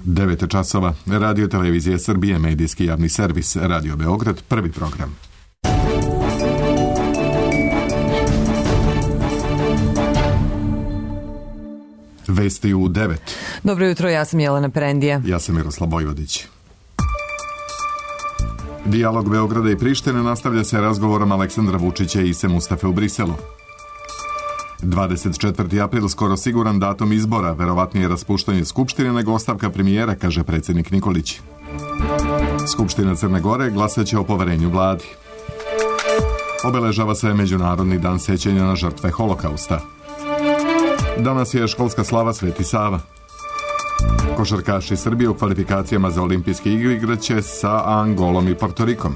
9 časova. Radio Televizija Srbije, medijski javni servis, Radio Beograd, prvi program. Vesti u 9. Dobro jutro, ja sam Jelena Perendija. Ja sam Miroslav Vojvodić. Dijalog Beograda i Prištine nastavlja se razgovorom Aleksandra Vučića i Ise Mustafe u Briselu. 24. april skoro siguran datum izbora, verovatnije raspuštanje Skupštine nego ostavka premijera, kaže predsjednik Nikolić. Skupština Crne Gore glasaće o poverenju vladi. Obeležava se Međunarodni dan sećanja na žrtve Holokausta. Danas je školska slava Sveti Sava. Košarkaši Srbije u kvalifikacijama za olimpijske igre igraće sa Angolom i Portorikom.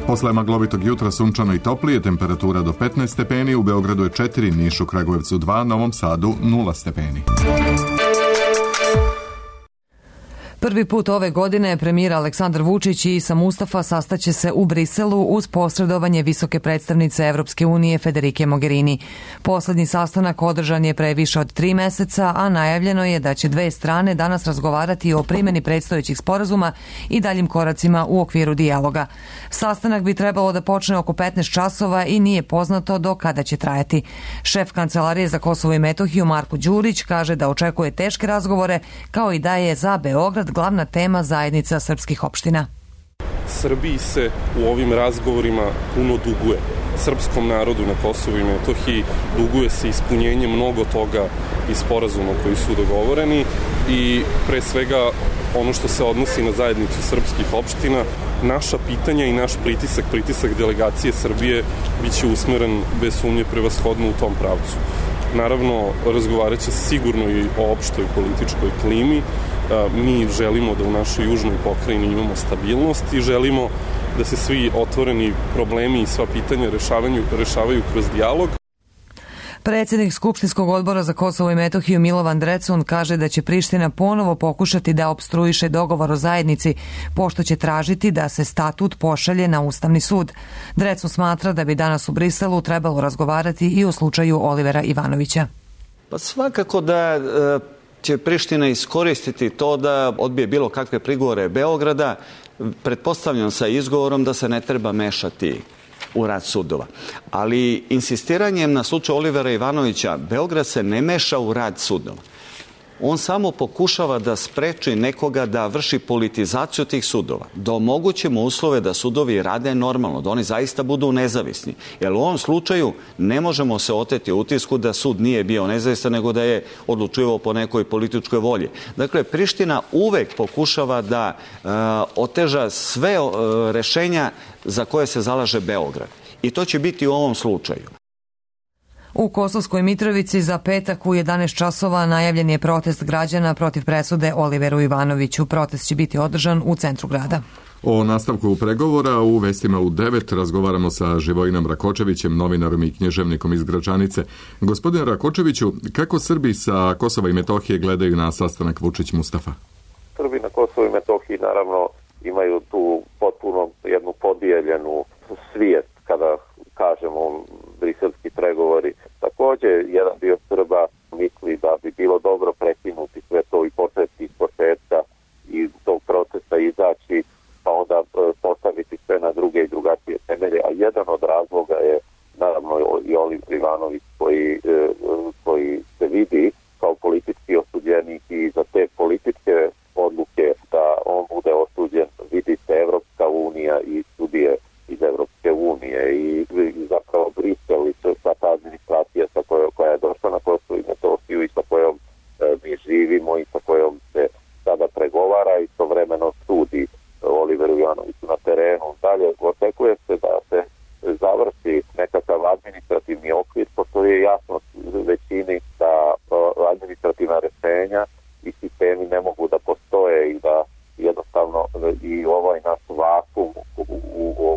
Posle maglovitog jutra sunčano i toplije, temperatura do 15 stepeni, u Beogradu je 4, Nišu, Kragujevcu 2, Novom Sadu 0 stepeni. Prvi put ove godine premijer Aleksandar Vučić i Isa Mustafa sastaće se u Briselu uz posredovanje visoke predstavnice Evropske unije Federike Mogherini. Poslednji sastanak održan je pre više od 3 meseca, a najavljeno je da će dve strane danas razgovarati o primjeni predstojećih sporazuma i daljim koracima u okviru dijaloga. Sastanak bi trebalo da počne oko 15 časova i nije poznato do kada će trajati. Šef Kancelarije za Kosovo i Metohiju Marko Đurić kaže da očekuje teške razgovore, kao i da je za Beograd glavna tema zajednica srpskih opština. Srbiji se u ovim razgovorima puno duguje. Srpskom narodu na Kosovu i Metohiji duguje se ispunjenje mnogo toga iz sporazuma koji su dogovoreni i pre svega ono što se odnosi na zajednicu srpskih opština, naša pitanja i naš pritisak delegacije Srbije biće usmeren bez sumnje prevashodno u tom pravcu. Naravno, razgovarat će sigurno i o opštoj političkoj klimi. Mi želimo da u našoj južnoj pokrajini imamo stabilnost i želimo da se svi otvoreni problemi i sva pitanja rešavaju kroz dijalog. Predsjednik Skupštinskog odbora za Kosovo i Metohiju Milovan Drecun kaže da će Priština ponovo pokušati da opstruiše dogovor o zajednici, pošto će tražiti da se statut pošalje na Ustavni sud. Drecun smatra da bi danas u Briselu trebalo razgovarati i o slučaju Olivera Ivanovića. Pa svakako da će Priština iskoristiti to da odbije bilo kakve prigovore Beograda, pretpostavljam sa izgovorom da se ne treba mešati u rad sudova. Ali insistiranjem na slučaju Olivera Ivanovića, Beograd se ne meša u rad sudova. On samo pokušava da spreči nekoga da vrši politizaciju tih sudova, da omogućimo uslove da sudovi rade normalno, da oni zaista budu nezavisni. Jer u ovom slučaju ne možemo se oteti utisku da sud nije bio nezavistan, nego da je odlučivao po nekoj političkoj volji. Dakle, Priština uvek pokušava da oteža sve rešenja za koje se zalaže Beograd. I to će biti u ovom slučaju. U Kosovskoj Mitrovici za petak u 11 časova najavljen je protest građana protiv presude Oliveru Ivanoviću. Protest će biti održan u centru grada. O nastavku pregovora u vestima u 9 razgovaramo sa Živojinom Rakočevićem, novinarom i književnikom iz Gračanice. Gospodine Rakočeviću, kako Srbi sa Kosova i Metohije gledaju na sastanak Vučić-Mustafa? Srbi na Kosovu i Metohiji naravno imaju tu potpuno jednu podijeljenu svijest kada kažemo briselski pregovori. Također, jedan dio Srba misli da bi bilo dobro prekinuti sve to i početi iz početka i tog procesa izaći, pa onda postaviti sve na druge i drugačije temelje. A jedan od razloga je naravno i Oliver Ivanović koji se vidi kao politički osuđenik i za te političke odluke da on bude osuđen, vidi se Evropska unija i sudije iz Evropske unije i zapravo Brisel i sva ta administracija koja je došla na Kosovo i Metohiju i sa kojom mi živimo i sa kojom se sada pregovara i istovremeno sudi Oliveru Ivanoviću na terenu. Dalje očekuje se da se završi nekakav administrativni okvir, pošto je jasno većini da administrativna rešenja i sistemi ne mogu da postoje i da jednostavno i ovaj naš vakum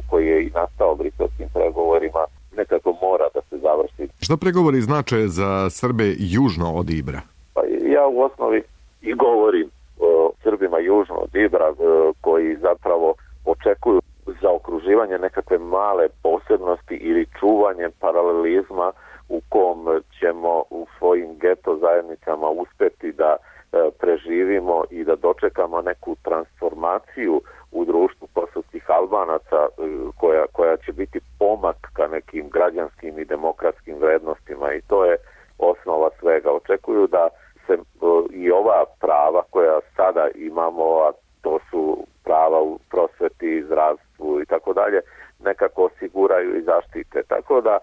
koji je i nastao briselskim pregovorima nekako mora da se završi. Šta pregovori znače za Srbe južno od Ibra? Pa ja u osnovi i govorim o Srbima južno od Ibra koji zapravo očekuju zaokruživanje nekakve male posebnosti ili čuvanje paralelizma u kom ćemo u svojim geto zajednicama uspeti da preživimo i da dočekamo neku transformaciju u društvu kosovskih Albanaca koja će biti pomak ka nekim građanskim i demokratskim vrednostima i to je osnova svega. Očekuju da se i ova prava koja sada imamo, a to su prava u prosveti, zdravstvu i tako dalje, nekako osiguraju i zaštite. Tako da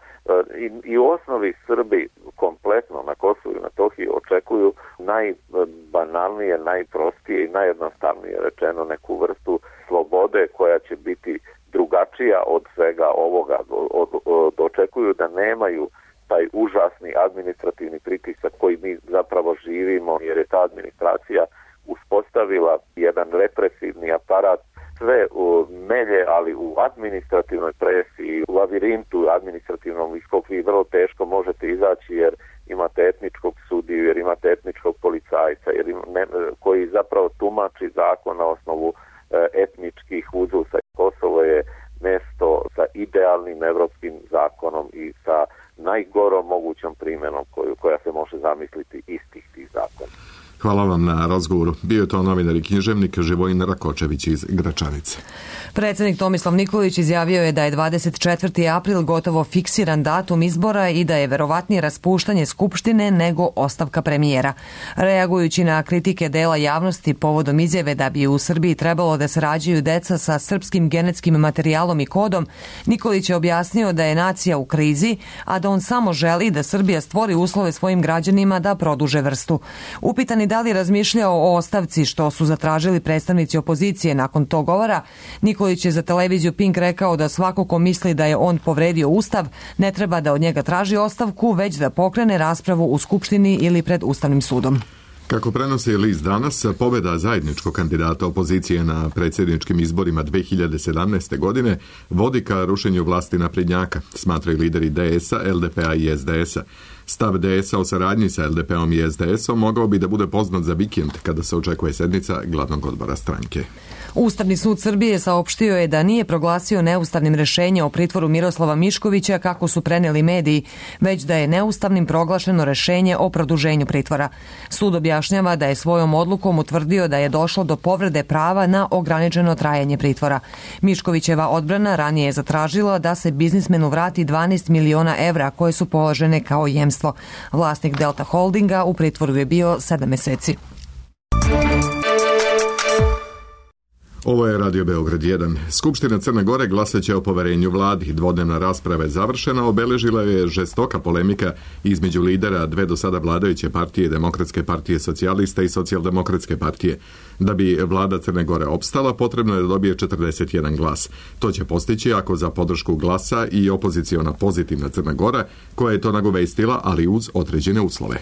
i u osnovi Srbi kompletno na Kosovu i Metohiji očekuju najbanalnije, najprostije i najjednostavnije rečeno neku vrstu slobode koja će biti drugačija od svega ovoga. Očekuju da nemaju taj užasni administrativni pritisak koji mi zapravo živimo, jer je ta administracija uspostavila jedan represivni aparat, sve melje, ali u administrativnoj presiji, u lavirintu administrativnom iz kog vi vrlo teško možete izaći jer imate etničkog sudiju, jer imate etničkog policajca, koji zapravo tumači zakon na osnovu etničkih uzusa. Kosovo je mesto sa idealnim evropskim zakonom i sa najgorom mogućom primjenom koja se može zamisliti istih tih zakona. Hvala vam na razgovoru. Bio je to novinar i književnik Živojin Rakočević iz Gračanice. Predsjednik Tomislav Nikolić izjavio je da je 24. april gotovo fiksiran datum izbora i da je verovatnije raspuštanje Skupštine nego ostavka premijera. Reagujući na kritike dela javnosti povodom izjave da bi u Srbiji trebalo da se rađaju deca sa srpskim genetskim materijalom i kodom, Nikolić je objasnio da je nacija u krizi, a da on samo želi da Srbija stvori uslove svojim građanima da produže vrstu. Upitani da li razmišljao o ostavci što su zatražili predstavnici opozicije nakon tog govora, Nikolić je za televiziju Pink rekao da svako ko misli da je on povredio Ustav ne treba da od njega traži ostavku, već da pokrene raspravu u Skupštini ili pred Ustavnim sudom. Kako prenosi list Danas, pobjeda zajedničkog kandidata opozicije na predsjedničkim izborima 2017. godine vodi ka rušenju vlasti naprednjaka, smatraju lideri DS-a, LDP-a i SDS-a. Stav DS-a o saradnji sa LDP-om i SDS-om mogao bi da bude poznat za vikend kada se očekuje sednica glavnog odbora stranke. Ustavni sud Srbije saopštio je da nije proglasio neustavnim rešenje o pritvoru Miroslava Miškovića kako su preneli mediji, već da je neustavnim proglašeno rešenje o produženju pritvora. Sud objašnjava da je svojom odlukom utvrdio da je došlo do povrede prava na ograničeno trajanje pritvora. Miškovićeva odbrana ranije je zatražila da se biznismenu vrati 12 miliona evra koje su položene kao jemstvo. Vlasnik Delta Holdinga u pritvoru je bio 7 meseci. Ovo je Radio Beograd 1. Skupština Crne Gore glasaće o poverenju vladi. Dvodnevna rasprava je završena, obeležila je žestoka polemika između lidera dve do sada vladajuće partije, Demokratske partije socijalista i Socijaldemokratske partije. Da bi vlada Crne Gore opstala, potrebno je da dobije 41 glas. To će postići ako za podršku glasa i opoziciona Pozitivna Crna Gora, koja je to nagovestila, ali uz određene uslove.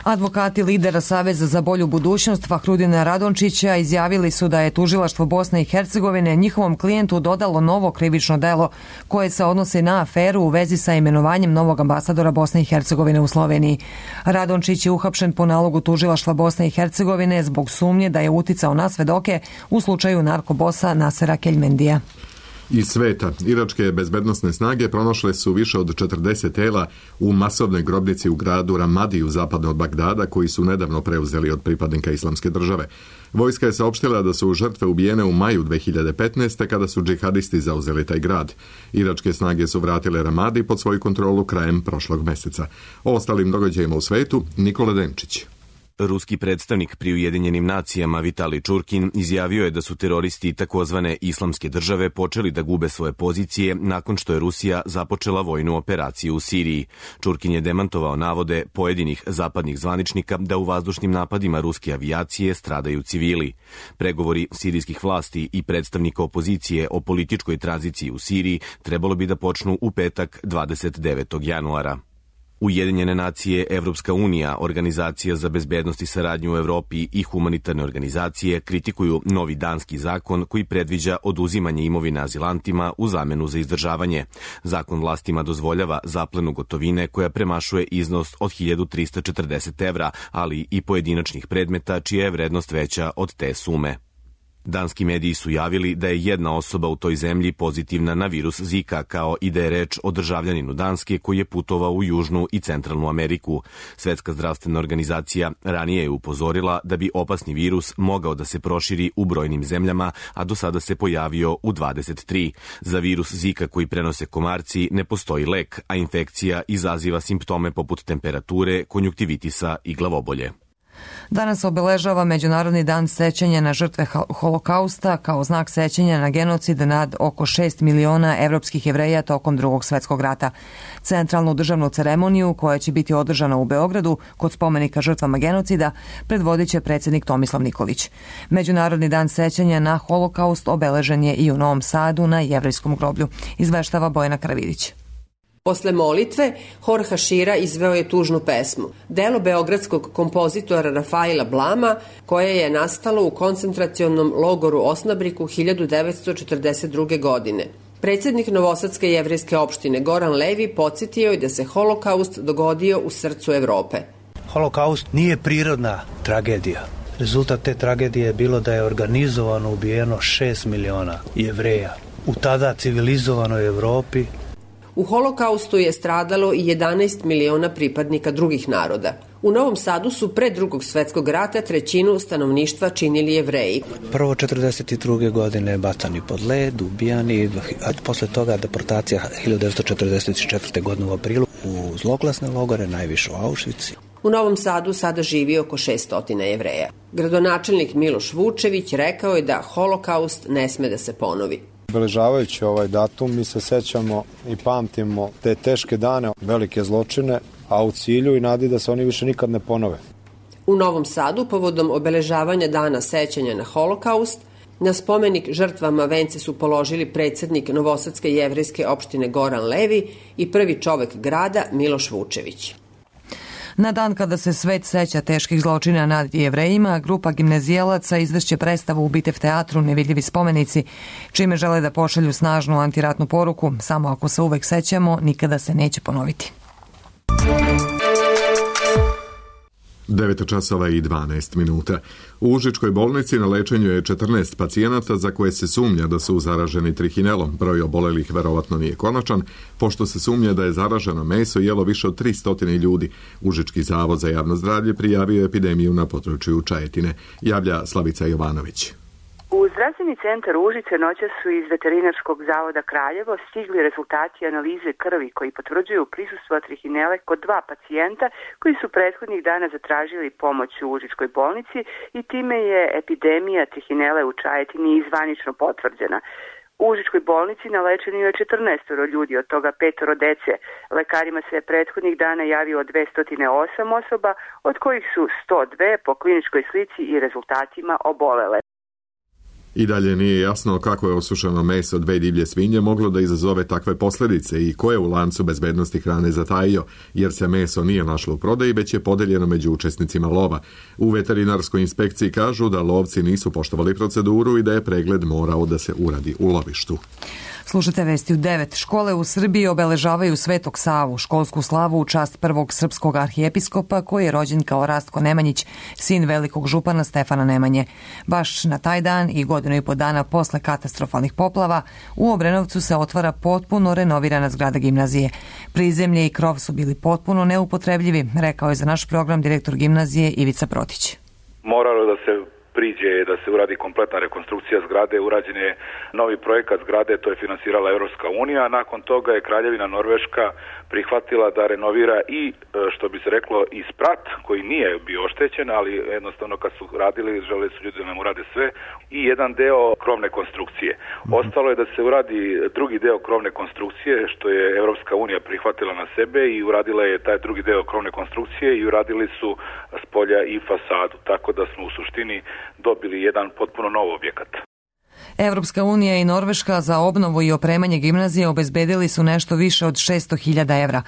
Advokati lidera Saveza za bolju budućnost Fahrudina Radončića izjavili su da je tužilaštvo Bosne i Hercegovine njihovom klijentu dodalo novo krivično delo koje se odnosi na aferu u vezi sa imenovanjem novog ambasadora Bosne i Hercegovine u Sloveniji. Radončić je uhapšen po nalogu tužilaštva Bosne i Hercegovine zbog sumnje da je uticao na svedoke u slučaju narkobosa Nasera Keljmendija. Iz sveta, iračke bezbednosne snage pronašle su više od 40 tela u masovnoj grobnici u gradu Ramadi zapadno od Bagdada, koji su nedavno preuzeli od pripadnika Islamske države. Vojska je saopštila da su žrtve ubijene u maju 2015. kada su džihadisti zauzeli taj grad. Iračke snage su vratile Ramadi pod svoju kontrolu krajem prošlog meseca. O ostalim događajima u svetu, Nikola Denčić. Ruski predstavnik pri Ujedinjenim nacijama Vitali Čurkin izjavio je da su teroristi takozvane Islamske države počeli da gube svoje pozicije nakon što je Rusija započela vojnu operaciju u Siriji. Čurkin je demantovao navode pojedinih zapadnih zvaničnika da u vazdušnim napadima ruske avijacije stradaju civili. Pregovori sirijskih vlasti i predstavnika opozicije o političkoj tranziciji u Siriji trebalo bi da počnu u petak 29. januara. Ujedinjene nacije, Evropska unija, Organizacija za bezbednost i saradnju u Evropi i humanitarne organizacije kritikuju novi danski zakon koji predviđa oduzimanje imovine azilantima u zamenu za izdržavanje. Zakon vlastima dozvoljava zaplenu gotovine koja premašuje iznos od 1340 evra, ali i pojedinačnih predmeta čija je vrednost veća od te sume. Danski mediji su javili da je jedna osoba u toj zemlji pozitivna na virus Zika, kao i da je reč o državljaninu Danske koji je putovao u Južnu i Centralnu Ameriku. Svetska zdravstvena organizacija ranije je upozorila da bi opasni virus mogao da se proširi u brojnim zemljama, a do sada se pojavio u 23. Za virus Zika koji prenose komarci ne postoji lek, a infekcija izaziva simptome poput temperature, konjuktivitisa i glavobolje. Danas obeležava Međunarodni dan sećanja na žrtve Holokausta kao znak sećanja na genocid nad oko 6 miliona evropskih Jevreja tokom Drugog svetskog rata. Centralnu državnu ceremoniju, koja će biti održana u Beogradu kod spomenika žrtvama genocida, predvodit će predsjednik Tomislav Nikolić. Međunarodni dan sećanja na Holokaust obeležen je i u Novom Sadu na Jevrejskom groblju, izveštava Bojana Karavidić. Posle molitve, hor Hašira izveo je tužnu pesmu, delo beogradskog kompozitora Rafaila Blama, koje je nastalo u koncentracionom logoru Osnabriku 1942. godine. Predsjednik Novosadske jevrejske opštine Goran Levi podsjetio je da se Holokaust dogodio u srcu Evrope. Holokaust nije prirodna tragedija. Rezultat te tragedije je bilo da je organizovano ubijeno 6 miliona Jevreja u tada civilizovanoj Evropi. U Holokaustu je stradalo i 11 miliona pripadnika drugih naroda. U Novom Sadu su pre Drugog svetskog rata trećinu stanovništva činili Jevreji. Prvo 1942. godine bacani pod led, ubijani, a posle toga deportacija 1944. godine u aprilu u zloglasne logore, najviše u Auschwitz. U Novom Sadu sada živi oko 600 Jevreja. Gradonačelnik Miloš Vučević rekao je da Holokaust ne sme da se ponovi. Obeležavajući ovaj datum mi se sećamo i pamtimo te teške dane, velike zločine, a u cilju i nadi da se oni više nikad ne ponove. U Novom Sadu, povodom obeležavanja dana sećanja na Holokaust, na spomenik žrtvama vence su položili predsjednik Novosadske jevrejske opštine Goran Levi i prvi čovek grada Miloš Vučević. Na dan kada se svet seća teških zločina nad Jevrejima, grupa gimnazijalaca izvešće predstavu u Bitev teatru Nevidljivi spomenici, čime žele da pošalju snažnu antiratnu poruku, samo ako se uvek sećamo, nikada se neće ponoviti. 9 časova i 12 minuta. U Užičkoj bolnici na lečenju je 14 pacijenata za koje se sumnja da su zaraženi trihinelom. Broj obolelih verovatno nije konačan, pošto se sumnja da je zaraženo meso jelo više od 300 ljudi. Užički zavod za javno zdravlje prijavio epidemiju na području Čajetine. Javlja Slavica Jovanović. U zdravstveni centar Užice noćas su iz Veterinarskog zavoda Kraljevo stigli rezultati analize krvi koji potvrđuju prisustvo trihinele kod 2 pacijenta koji su prethodnih dana zatražili pomoć u Užičkoj bolnici i time je epidemija trihinele u Čajetini zvanično potvrđena. U Užičkoj bolnici na lečenju je 14 ljudi, od toga 5 dece. Lekarima se prethodnih dana javilo 208 osoba, od kojih su 102 po kliničkoj slici i rezultatima obolele. I dalje nije jasno kako je osušeno meso 2 divlje svinje moglo da izazove takve posljedice i ko je u lancu bezbednosti hrane zatajio, jer se meso nije našlo u prodaji, već je podeljeno među učesnicima lova. U veterinarskoj inspekciji kažu da lovci nisu poštovali proceduru i da je pregled morao da se uradi u lovištu. Slušate vesti u 9. Škole u Srbiji obeležavaju Svetog Savu, školsku slavu u čast prvog srpskog arhijepiskopa koji je rođen kao Rastko Nemanjić, sin velikog župana Stefana Nemanje. Baš na taj dan i 1,5 godina posle katastrofalnih poplava u Obrenovcu se otvara potpuno renovirana zgrada gimnazije. Prizemlje i krov su bili potpuno neupotrebljivi, rekao je za naš program direktor gimnazije Ivica Protić. Moralo da se priđe da se uradi kompletna rekonstrukcija zgrade, urađen je novi projekat zgrade, to je finansirala Evropska unija, a nakon toga je Kraljevina Norveška prihvatila da renovira i, što bi se reklo, i sprat koji nije bio oštećen, ali jednostavno kad su radili, želeli su ljudi da nam urade sve, i jedan deo krovne konstrukcije. Ostalo je da se uradi drugi deo krovne konstrukcije, što je Evropska unija prihvatila na sebe i uradila je taj drugi deo krovne konstrukcije i uradili su spolja i fasadu, tako da smo u suštini dobili jedan potpuno nov objekat. Evropska unija i Norveška za obnovu i opremanje gimnazije obezbedili su nešto više od 600.000 evra.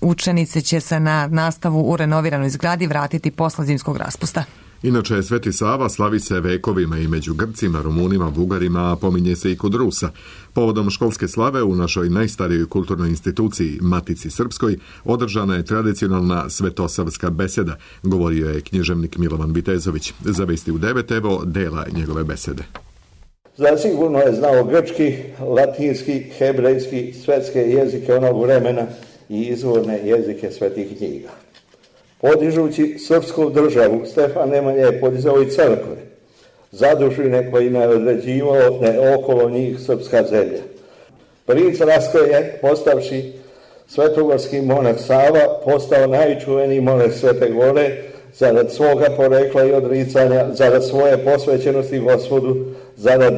Učenice će se na nastavu u renoviranoj zgradi vratiti posle zimskog raspusta. Inače, Sveti Sava slavi se vekovima i među Grcima, Rumunima, Bugarima, a pominje se i kod Rusa. Povodom školske slave u našoj najstarijoj kulturnoj instituciji, Matici Srpskoj, održana je tradicionalna svetosavska beseda, govorio je književnik Milovan Vitezović. Za Vesti u 9, evo dela njegove besede. Zasigurno je znao grčki, latinski, hebrejski, svetske jezike onog vremena i izvorne jezike svetih knjiga. Podižući srpsku državu, Stefan Nemanja je podizao i crkve, zadužine kojima je određivao da je okolo njih srpska zemlja. Princ Rastko je, postavši svetogorski monah Sava, postao najčuveniji monah Svete Gore, zarad svoga porekla i odricanja, zarad svoje posvećenosti Gospodu, zarad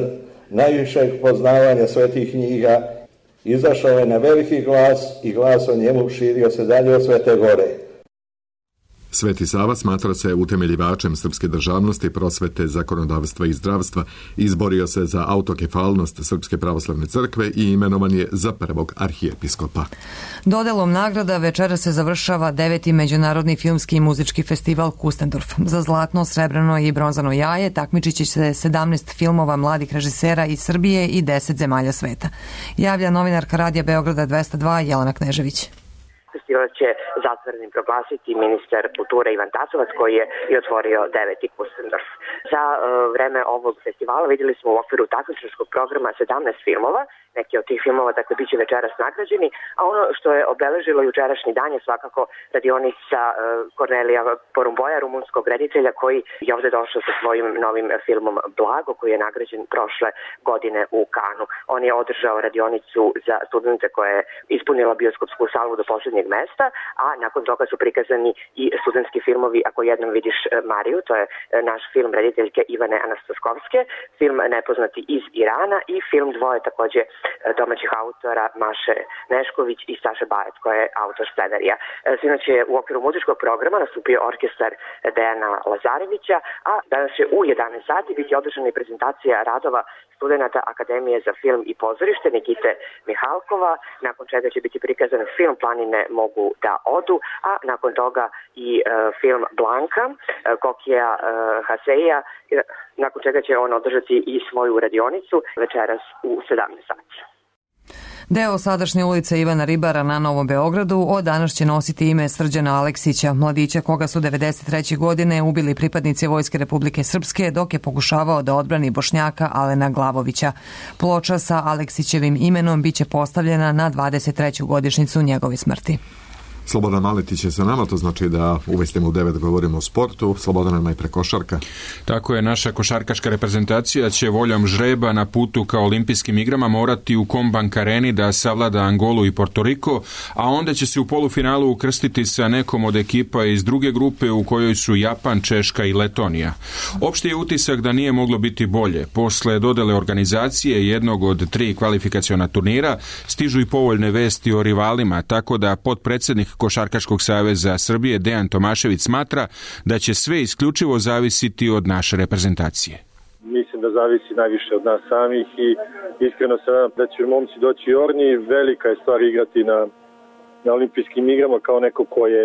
najvišeg poznavanja svetih knjiga, izašao je na veliki glas i glas o njemu širio se dalje od Svete Gore. Sveti Sava smatra se utemeljivačem srpske državnosti, prosvete, zakonodavstva i zdravstva, izborio se za autokefalnost Srpske pravoslavne crkve i imenovan je za prvog arhijepiskopa. Dodelom nagrada večera se završava 9. Međunarodni filmski i muzički festival Kustendorf. Za zlatno, srebrno i bronzano jaje takmičit će se 17 filmova mladih režisera iz Srbije i 10 zemalja sveta. Javlja novinarka Radija Beograda 202 Jelena Knežević. Festival će zatvorenim proglasiti ministar kulture Ivan Tasovac, koji je i otvorio 9. Kustendorf. Za vreme ovog festivala vidjeli smo u okviru takmičarskog programa 17 filmova. Neki od tih filmova, dakle, bit će večeras nagrađeni, a ono što je obeležilo jučerašnji dan je svakako radionica Kornelija Porumboja, rumunskog reditelja, koji je ovde došao sa svojim novim filmom Blago, koji je nagrađen prošle godine u Kanu. On je održao radionicu za studente koja je ispunila bioskopsku salu do posljednjeg mesta, a nakon toga su prikazani i studentski filmovi Ako jednom vidiš Mariju, to je naš film rediteljke Ivane Anastaskovske, film Nepoznati iz Irana i film Dvoje, takođe domaćih autora Maše Nešković i Staše Bajec, koja je autor scenarija. Sinoć je u okviru muzičkog programa nastupio orkestar Dejana Lazarevića, a danas će u 11 sati biti održana i prezentacija radova studenata Akademije za film i pozorište Nikite Mihalkova, nakon čega će biti prikazan film Planine mogu da odu, a nakon toga i film Blanka Kokija Haseija, nakon čega će on održati i svoju radionicu večeras u 17 sati. Deo sadašnje ulice Ivana Ribara na Novom Beogradu od danas će nositi ime Srđana Aleksića, mladića koga su 1993. godine ubili pripadnici Vojske Republike Srpske dok je pokušavao da odbrani Bošnjaka Alena Glavovića. Ploča sa Aleksićevim imenom biće postavljena na 23. godišnjicu njegove smrti. Slobodan Maletić je sa nama, to znači da uvestimo u 9 govorimo o sportu. Slobodan, najpre košarka. Tako je, naša košarkaška reprezentacija će voljom žreba na putu ka olimpijskim igrama morati u Combank Areni da savlada Angolu i Portoriko, a onda će se u polufinalu ukrstiti sa nekom od ekipa iz druge grupe u kojoj su Japan, Češka i Letonija. Opšti je utisak da nije moglo biti bolje. Posle dodele organizacije jednog od 3 kvalifikaciona turnira stižu i povoljne vesti o rivalima, tako da potpredsednik Košarkaškog saveza Srbije Dejan Tomašević smatra da će sve isključivo zavisiti od naše reprezentacije. Mislim da zavisi najviše od nas samih i iskreno se nadam da će momci doći orni. Velika je stvar igrati na olimpijskim igrama kao neko ko je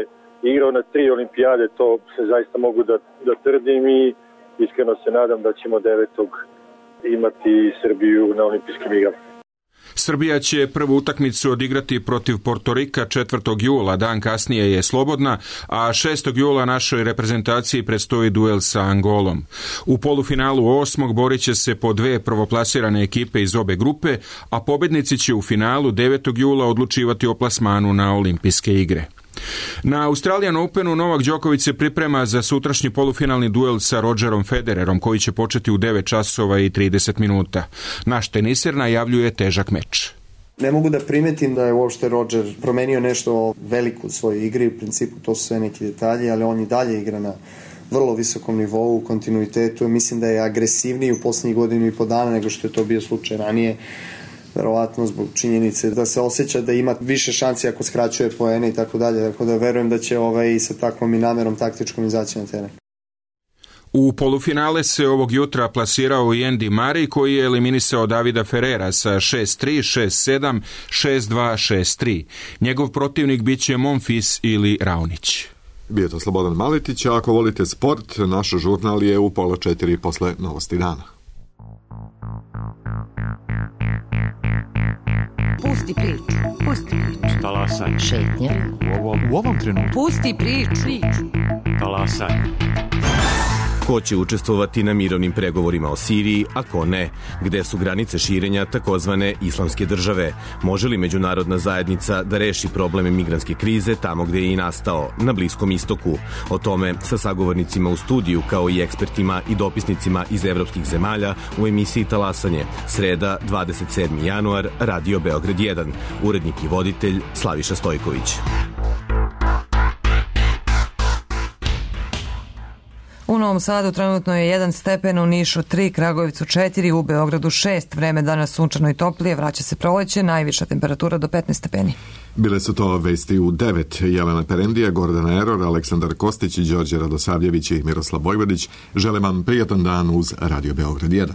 igrao na 3 olimpijade, to se zaista mogu da tvrdim i iskreno se nadam da ćemo 9. imati Srbiju na olimpijskim igrama. Srbija će prvu utakmicu odigrati protiv Portorika 4. jula, dan kasnije je slobodna, a 6. jula našoj reprezentaciji predstoji duel sa Angolom. U polufinalu 8. borit će se po 2 prvoplasirane ekipe iz obe grupe, a pobednici će u finalu 9. jula odlučivati o plasmanu na olimpijske igre. Na Australian Openu Novak Đoković se priprema za sutrašnji polufinalni duel sa Rodgerom Federerom, koji će početi u 9 časova i 30 minuta. Naš teniser najavljuje težak meč. Ne mogu da primetim da je uopšte Rodger promenio nešto veliko u svojoj igri, u principu to su sve neki detalji, ali on i dalje igra na vrlo visokom nivou, u kontinuitetu. Mislim da je agresivniji u poslednjih godinu i po dana nego što je to bio slučaj ranije. Verovatno zbog činjenice da se osjeća da ima više šansi ako skraćuje poene i tako dalje. Tako da verujem da će sa takvom i namerom taktičkom izaći na teren. U polufinale se ovog jutra plasirao i Andy Murray, koji je eliminisao Davida Ferrera sa 6-3, 6-7, 6-2, 6-3. Njegov protivnik biće Monfils ili Raonić. Bio je to Slobodan Maletić, a ako volite sport, naš žurnal je u 3:30 posle novosti dana. Pusti priču, pusti priču. Talasaj. Šetnja. U ovom trenutku. Pusti priču. Talasaj. Ko će učestvovati na mirovnim pregovorima o Siriji, a ko ne? Gde su granice širenja takozvane islamske države? Može li međunarodna zajednica da reši probleme migrantske krize tamo gde je i nastao, na Bliskom istoku? O tome sa sagovornicima u studiju, kao i ekspertima i dopisnicima iz evropskih zemalja u emisiji Talasanje. Sreda, 27. januar, Radio Beograd 1. Urednik i voditelj Slaviša Stojković. U Novom Sadu trenutno je 1 stepen, u Nišu 3, Kragujevcu 4, u Beogradu 6. Vreme danas sunčano i toplije, vraća se proleće, najviša temperatura do 15 stepeni. Bile su to vesti u 9. Jelena Perendija, Gordana Eror, Aleksandar Kostić, Đorđe Radosavljević i Miroslav Vojvodić. Želim vam prijatan dan uz Radio Beograd 1.